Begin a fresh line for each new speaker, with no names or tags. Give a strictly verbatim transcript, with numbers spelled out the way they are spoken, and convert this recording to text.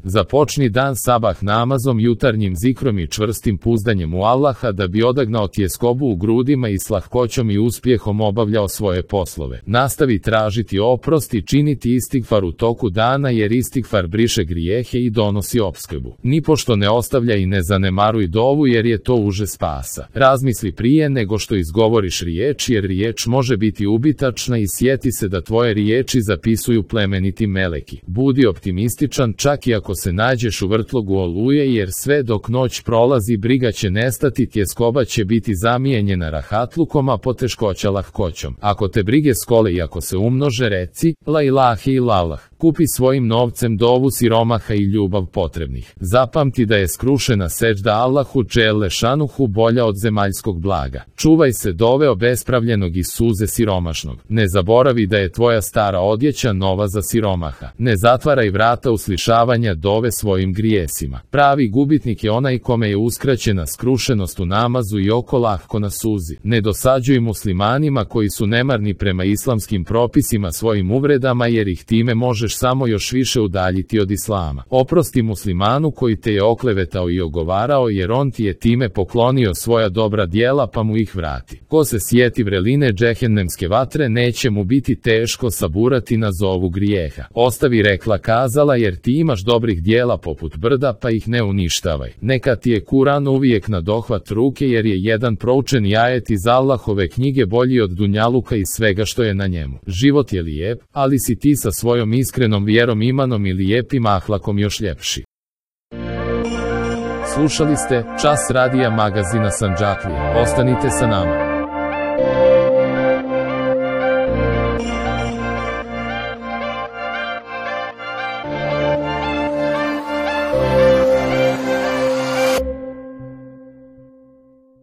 Započni dan sabah namazom, jutarnjim zikrom i čvrstim puzdanjem u Allaha da bi odagnao tjeskobu u grudima i s lahkoćom i uspjehom obavljao svoje poslove. Nastavi tražiti oprost i činiti istigfar u toku dana, jer istigfar briše grijehe i donosi opskrbu. Nipošto ne ostavljaj i ne zanemaruj dovu, jer je to uže spasa. Razmisli prije nego što izgovoriš riječ, jer riječ može biti ubitačna, i sjeti se da tvoje riječi zapisuju plemeniti meleki. Budi optimističan čak i ako se nađeš u vrtlogu oluje, jer sve dok noć prolazi briga će nestati, tjeskoba će biti zamijenjena rahatlukom, a poteškoća lahkoćom. Ako te brige skole i ako se umnože, reci la ilahe illallah. Kupi svojim novcem dovu siromaha i ljubav potrebnih. Zapamti da je skrušena seđda Allahu dželle šanuhu bolja od zemaljskog blaga. Čuvaj se dove obespravljenog i suze siromašnog. Ne zaboravi da je tvoja stara odjeća nova za siromaha. Ne zatvaraj vrata uslišavanja dove svojim grijesima. Pravi gubitnik je onaj kome je uskraćena skrušenost u namazu i oko lahko na suzi. Ne dosađuj muslimanima koji su nemarni prema islamskim propisima svojim uvredama, jer ih time možeš samo još više udaljiti od islama. Oprosti muslimanu koji te je oklevetao i ogovarao, jer on ti je time poklonio svoja dobra djela, pa mu ih vrati. Ko se sjeti vreline džehennemske vatre, neće mu biti teško saburati na zovu grijeha. Ostavi rekla kazala, jer ti imaš dobrih djela poput brda, pa ih ne uništavaj. Neka ti je Kuran uvijek na dohvat ruke, jer je jedan proučeni ajet iz Allahove knjige bolji od dunjaluka i svega što je na njemu. Život je lijep, ali si ti sa svojom iskrenom vjerom, imanom i lijepim ahlakom još ljepši. Slušali ste Čas radija magazina Sandžaklija. Ostanite sa nama.